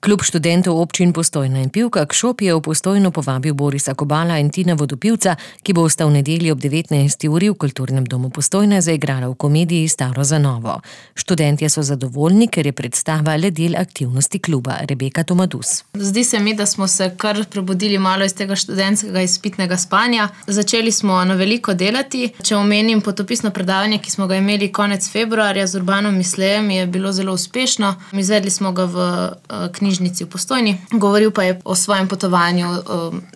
Klub študentov občin Postojna in Pivka Kšop je v Postojno povabil Borisa Kobala in Tina Vodopivca, ki bosta v nedeljo ob 19. uri v Kulturnem domu Postojna zaigrala v komediji Staro za novo. Študentje so zadovoljni, ker je predstava le del aktivnosti kluba. Rebeka Tomadus. Zdi se mi, da smo se kar prebudili malo iz tega študentskega izpitnega spanja. Začeli smo na veliko delati. Če omenim potopisno predavanje, ki smo ga imeli konec februarja z Urbanom Mislejem, je bilo zelo uspešno. Izvedli smo ga v knjižnici v Postojni. Govoril pa je o svojem potovanju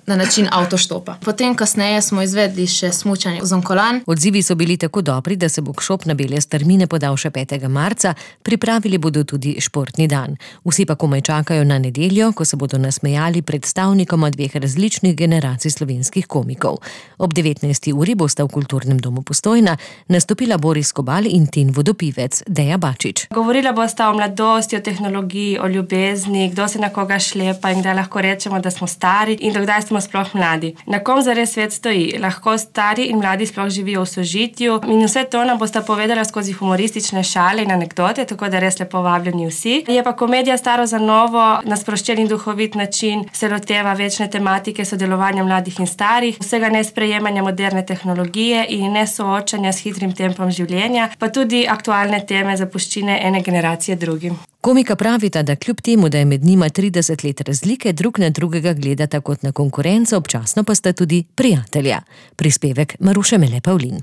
na način avtoštopa. Potem kasneje smo izvedli še smučanje z onkolan. Odzivi so bili tako dobri, da se bo Kšop na bele strmine podal še 5. marca, pripravili bodo tudi športni dan. Vsi pa komaj čakajo na nedeljo, ko se bodo nasmejali predstavnikoma 2 različnih generacij slovenskih komikov. Ob 19. uri bosta v Kulturnem domu Postojna nastopila Boris Kobal in Tin Vodopivec, Deja Bačič. Govorila bosta o mladosti, o tehnologiji, o ljubezni, kdo se na koga šlepa in kdaj lahko rečemo, da smo stari in dokdaj smo sploh mladi. Na kom zares svet stoji? Lahko stari in mladi sploh živijo v sožitju in vse to nam bosta povedala skozi humoristične šale in anekdote, tako da res lepo vabljeni vsi. Je pa komedija Staro za novo na sproščen in duhovit način se loteva večne tematike sodelovanja mladih in starih, vsega nesprejemanja moderne tehnologije in nesoočanja s hitrim tempom življenja, pa tudi aktualne teme zapuščine ene generacije drugim. Komika pravita, da kljub temu, da je med njima 30 let razlike, drug na drugega gledata kot na konkurenco, občasno pa sta tudi prijatelja. Prispevek Maruše Mele Pavlin.